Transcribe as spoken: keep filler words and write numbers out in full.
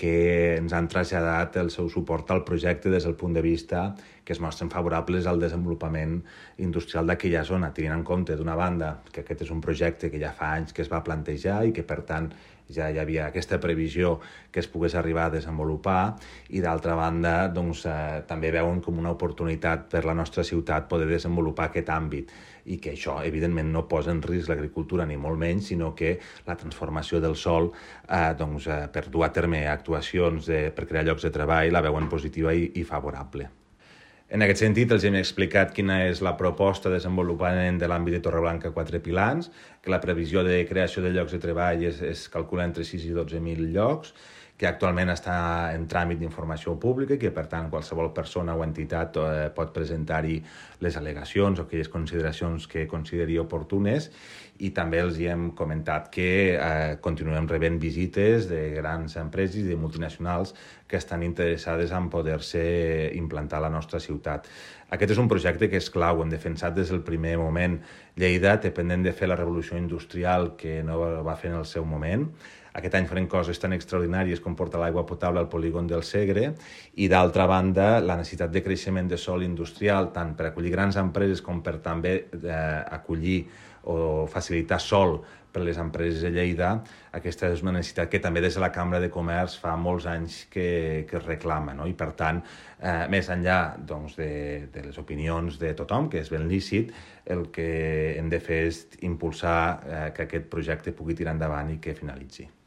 que ens han traslladat el seu suport al projecte des del punt de vista que es mostren favorables al desenvolupament industrial d'aquella zona, tenint en compte, d'una banda, que aquest és un projecte que ja fa anys que es va plantejar i que, per tant, ja hi havia aquesta previsió que es pogués arribar a desenvolupar, i d'altra banda doncs, eh, també veuen com una oportunitat per la nostra ciutat poder desenvolupar aquest àmbit, i que això evidentment no posa en risc l'agricultura ni molt menys, sinó que la transformació del sòl eh, doncs, eh, per dur a terme actuacions de, per crear llocs de treball la veuen positiva i, i favorable. En aquest sentit, els hem explicat quina és la proposta de desenvolupament de l'àmbit de Torreblanca Quatre Pilans, que la previsió de creació de llocs de treball es, es calcula entre sis i dotze mil llocs, que actualment està en tràmit d'informació pública i que, per tant, qualsevol persona o entitat eh, pot presentar-hi les al·legacions o aquelles consideracions que consideri oportunes, i també els hi hem comentat que eh, continuem rebent visites de grans empreses i de multinacionals que estan interessades en poder-se implantar a la nostra ciutat. Aquest és un projecte que és clau, hem defensat des del primer moment. Lleida té pendent de fer la revolució industrial que no va fer en el seu moment. Aquest any farem coses tan extraordinàries com portar l'aigua potable al polígon del Segre, i d'altra banda la necessitat de creixement de sòl industrial tant per acollir grans empreses com per també eh, acollir o facilitar sòl per les empreses de Lleida. Aquesta és una necessitat que també des de la Cambra de Comerç fa molts anys que, que es reclama, no? I per tant, eh, més enllà doncs, de, de les opinions de tothom, que és ben lícit, el que hem de fer és impulsar eh, que aquest projecte pugui tirar endavant i que finalitzi.